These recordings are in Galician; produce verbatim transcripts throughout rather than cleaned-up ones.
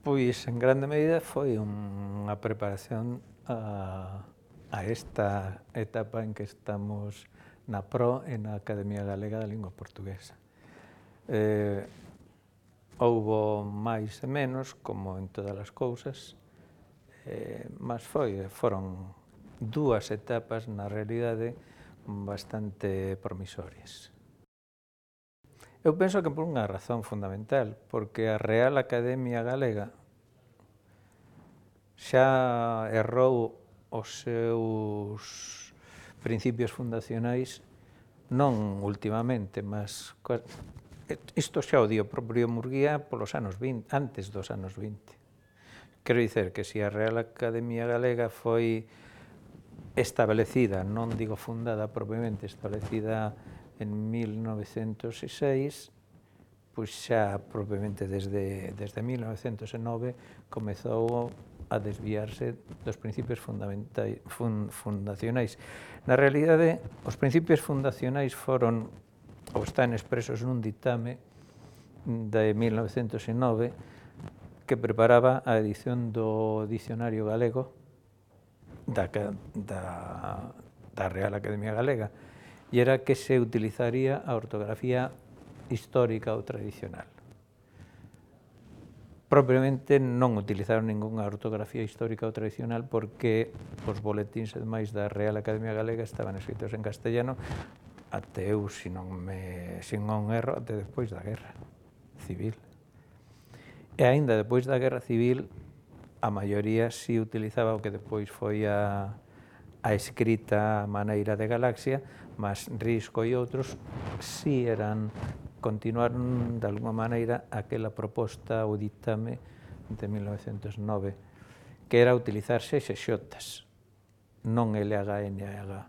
Pois, en grande medida, foi unha preparación a, a esta etapa en que estamos na Pro e na Academia Galega da Lingua Portuguesa. Eh, houbo máis e menos, como en todas as cousas, eh, mas foi, foron dúas etapas, na realidade, bastante promisorias. Eu penso que por unha razón fundamental, porque a Real Academia Galega xa errou os seus principios fundacionais non ultimamente, mas isto xa o di o propio Murguía polos anos vinte, antes dos anos vinte. Quero dicer que se a Real Academia Galega foi establecida, non digo fundada propiamente, establecida en mil novecentos e seis, pois xa propiamente desde, desde mil novecentos e nove comezou a desviarse dos principios fundamentais, fun, fundacionais. Na realidade, os principios fundacionais foron, ou están expresos nun ditame de mil novecentos e nove que preparaba a edición do Dicionario Galego da, da, da Real Academia Galega, e era que se utilizaría a ortografía histórica ou tradicional. Propiamente non utilizaron ningunha ortografía histórica ou tradicional porque os boletíns e demais da Real Academia Galega estaban escritos en castellano até eu, se non me sin non erro, até despois da Guerra Civil. E aínda despois da Guerra Civil, a maioría si utilizaba o que despois foi a, a escrita maneira de Galaxia, mas Risco e outros si eran, continuaron de alguma maneira aquela proposta ou ditame de mil novecentos e nove, que era utilizar sexexotas, non L H N H.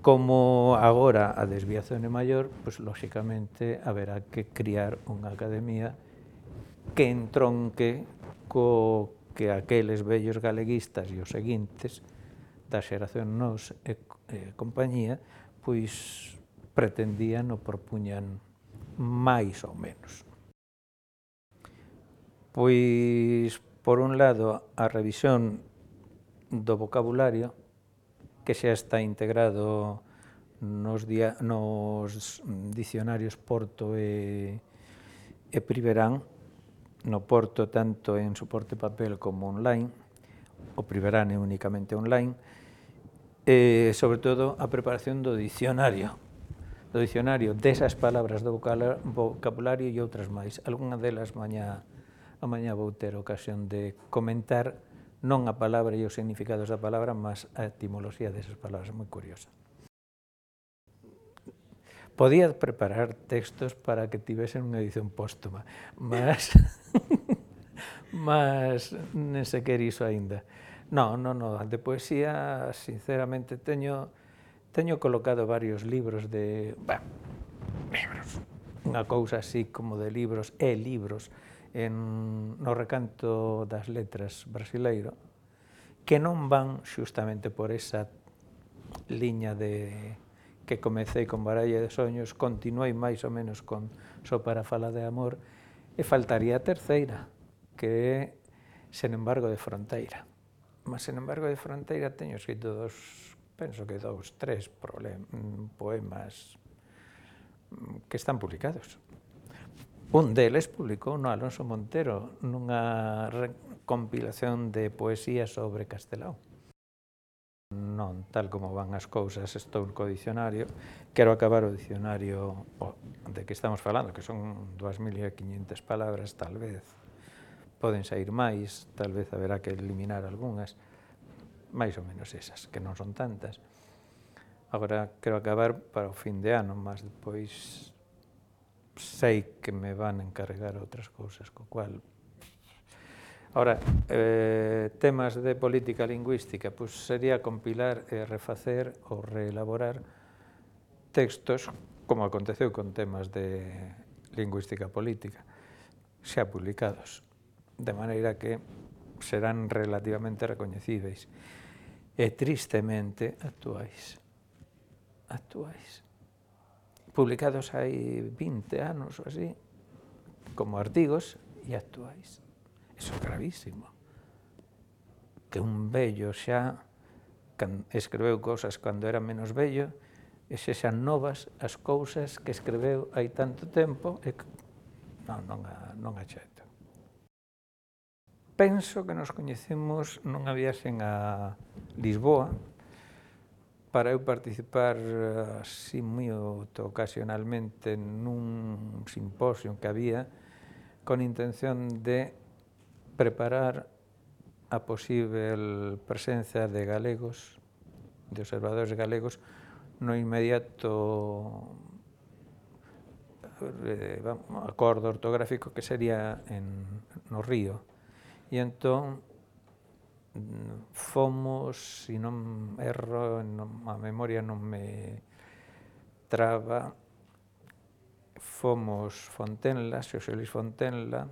Como agora a desviación é maior, pois lóxicamente haberá que criar unha academia que entronque co que aqueles vellos galeguistas e os seguintes da xeración Nós e, e compañía pois pretendían ou propuñan máis ou menos. Pois, por un lado, a revisión do vocabulario, que xa está integrado nos, dia, nos dicionarios Porto e, e Priverán, no Porto tanto en soporte papel como online, o Priverán é únicamente online, e, sobre todo, a preparación do dicionario, do dicionario desas palabras do vocabulario e outras máis. Algúna delas mañá, a mañá vou ter ocasión de comentar non a palabra e os significados da palabra, mas a etimoloxía desas palabras, moi curiosa. Podía preparar textos para que tivesen unha edición póstuma, mas mas nen sequer iso aínda. Non, non, non, de poesía, sinceramente, teño teño colocado varios libros de, bah, libros, unha cousa así como de libros e libros en, no recanto das letras brasileiro, que non van xustamente por esa liña de que comecei con Baralla de Soños, continuei máis ou menos con Só para falar de amor, e faltaría a terceira, que é Sen embargo de fronteira. Mas Sen embargo de fronteira teño escrito dos, penso que dous, tres poemas que están publicados. Un deles publicou no Alonso Montero nunha compilación de poesía sobre Castelao. Non, tal como van as cousas, estou co dicionario, quero acabar o dicionario de que estamos falando, que son dúas mil quinhentas palabras, tal vez poden sair máis, tal vez haberá que eliminar algunhas, máis ou menos esas, que non son tantas. Agora quero acabar para o fin de ano, mas depois sei que me van encarregar outras cousas, co cual... Ahora, eh, temas de política lingüística, pois sería compilar e refacer ou reelaborar textos, como aconteceu con temas de lingüística política, xa publicados, de maneira que serán relativamente recoñecíveis e tristemente actuais. Actuais. Publicados hai vinte anos ou así, como artigos, e actuais. Iso é gravísimo. Que un vello xa escreveu cousas cando era menos vello e se xan novas as cousas que escreveu hai tanto tempo e que non, non, non axeito. Penso que nos coñecemos nunha viaxen a Lisboa para eu participar así moi ocasionalmente nun simposio que había con intención de preparar a posível presenza de galegos, de observadores galegos, no inmediato eh, acordo ortográfico que sería en, no Río. E entón fomos, se non erro, a memoria non me traba, fomos Fontenla, Xosé Luis Fontenla,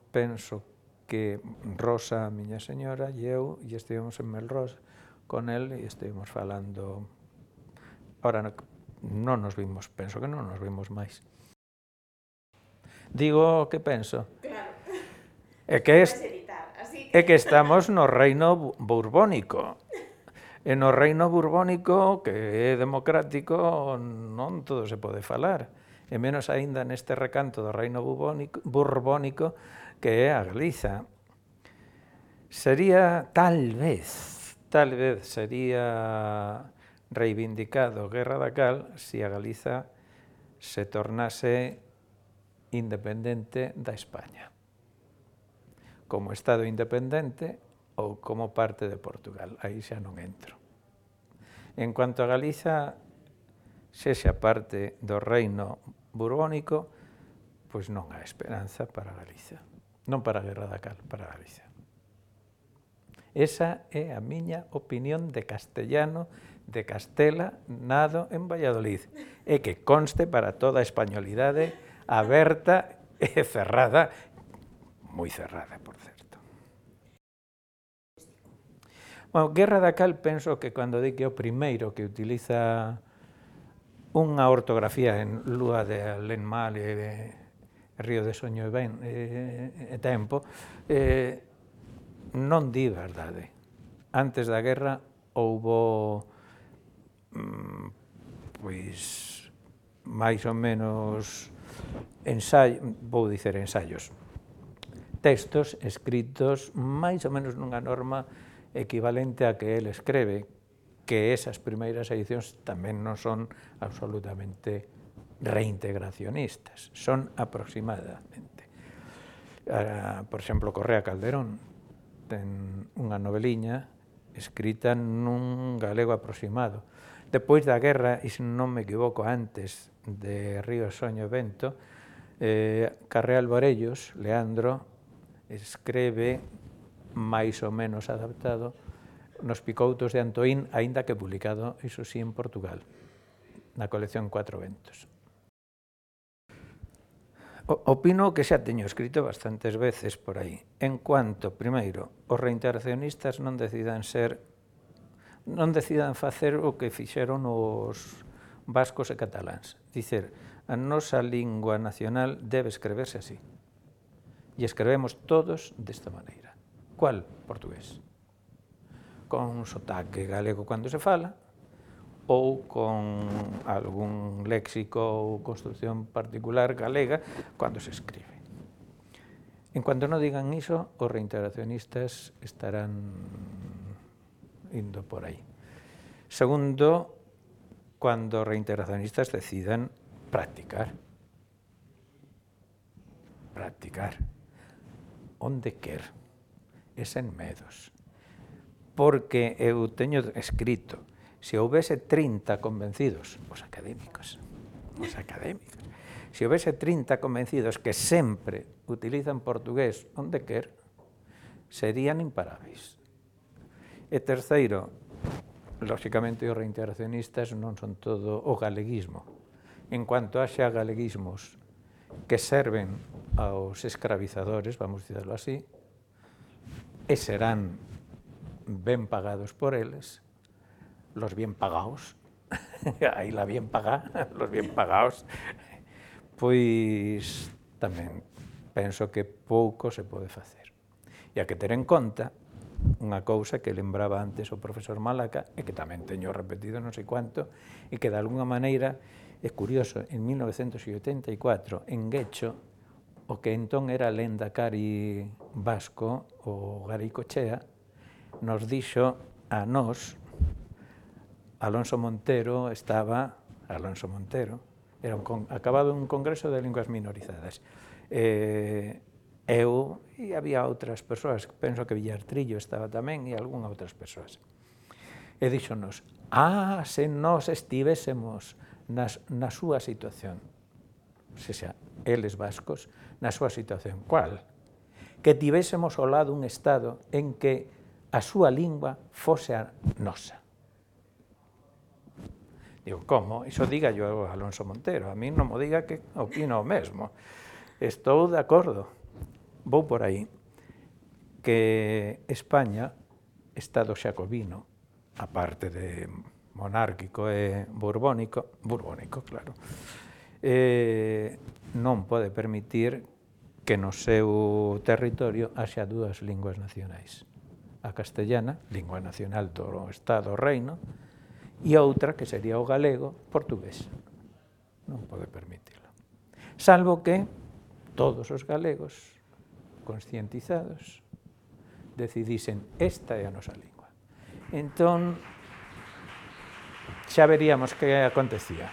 penso que Rosa, a miña señora, e eu, e estivemos en Melrós con el e estivemos falando. Ahora non nos vimos, penso que non nos vimos máis. Digo o que penso. Claro. É que, es, é que estamos no reino borbónico. E no reino borbónico, que é democrático, non todo se pode falar. E menos aínda neste recanto do reino borbónico, que é a Galiza. Sería, tal vez, tal vez sería reivindicado Guerra da Cal se a Galiza se tornase independente da España, como Estado independente ou como parte de Portugal. Aí xa non entro. En cuanto a Galiza, sexa parte do reino borbónico, pois non há esperanza para Galiza. Non para a Guerra da Cal, para Galiza. Esa é a miña opinión de castellano de Castela, nado en Valladolid, e que conste para toda a españolidade aberta e cerrada, moi cerrada, por certo. Bueno, Guerra da Cal, penso que cando di que é o primeiro que utiliza unha ortografía en lúa de alén mal e de río de soño e ben e, e tempo, eh, non di verdade. Antes da guerra houbo pois máis ou menos ensaios, vou dicer ensaios, textos escritos máis ou menos nunha norma equivalente a que el escreve, que esas primeiras edicións tamén non son absolutamente reintegracionistas, son aproximadamente. Por exemplo, Correa Calderón ten unha noveliña escrita nun galego aproximado. Depois da guerra, e se non me equivoco, antes de Río, Soño e Vento, eh, Carreal Borellos, Leandro, escreve máis ou menos adaptado nos Picoutos de Antoín, aínda que publicado, iso sí, en Portugal, na colección Cuatro Ventos. Opino que xa teño escrito bastantes veces por aí, en cuanto, primeiro, os reintegracionistas non decidan ser, non decidan facer o que fixeron os vascos e cataláns, dicer, a nosa lingua nacional debe escreverse así, e escrevemos todos desta maneira. Cual? Portugués. Con sotaque galego cando se fala, ou con algún léxico ou construcción particular galega cando se escribe. En cuanto non digan iso, os reintegracionistas estarán indo por aí. Segundo, cando os reintegracionistas decidan practicar. Practicar. Onde quer. E sen medos. Porque eu teño escrito, se houvese trinta convencidos, os académicos, os académicos, se houvese trinta convencidos que sempre utilizan portugués onde quer, serían imparáveis. E terceiro, lóxicamente os reintegracionistas non son todo o galeguismo. En cuanto haxa galeguismos que serven aos escravizadores, vamos dicirlo así, e serán ben pagados por eles, los bien pagados, aí la bien pagada, los bien pagados, pois tamén penso que pouco se pode facer. E a que ter en conta unha cousa que lembraba antes o profesor Malaca e que tamén teño repetido non sei cuánto e que de alguna maneira é curioso, en mil novecentos oitenta e catro en Guecho o que entón era lendakari vasco, o Garaikoetxea, nos dixo a nós, Alonso Montero estaba, Alonso Montero, era un con, acabado un congreso de linguas minorizadas, eh, eu e había outras persoas, penso que Villartrillo estaba tamén e algunha outras persoas. E díxonos, ah, se nós estivésemos nas, na súa situación, se xa, eles vascos, na súa situación, cual? Que tivésemos ao lado un Estado en que a súa lingua fose a nosa. Digo, como? Iso diga yo a Alonso Montero, a mí non mo diga que opino o mesmo. Estou de acordo. Vou por aí, que España, Estado xacobino, aparte de monárquico e borbónico, borbónico, claro, eh, non pode permitir que no seu territorio haxa dúas linguas nacionais. A castellana, lingua nacional do Estado, o reino, e outra, que sería o galego, portugués. Non pode permitirlo. Salvo que todos os galegos conscientizados, decidisen esta é a nosa lingua. Entón, xa veríamos que acontecía.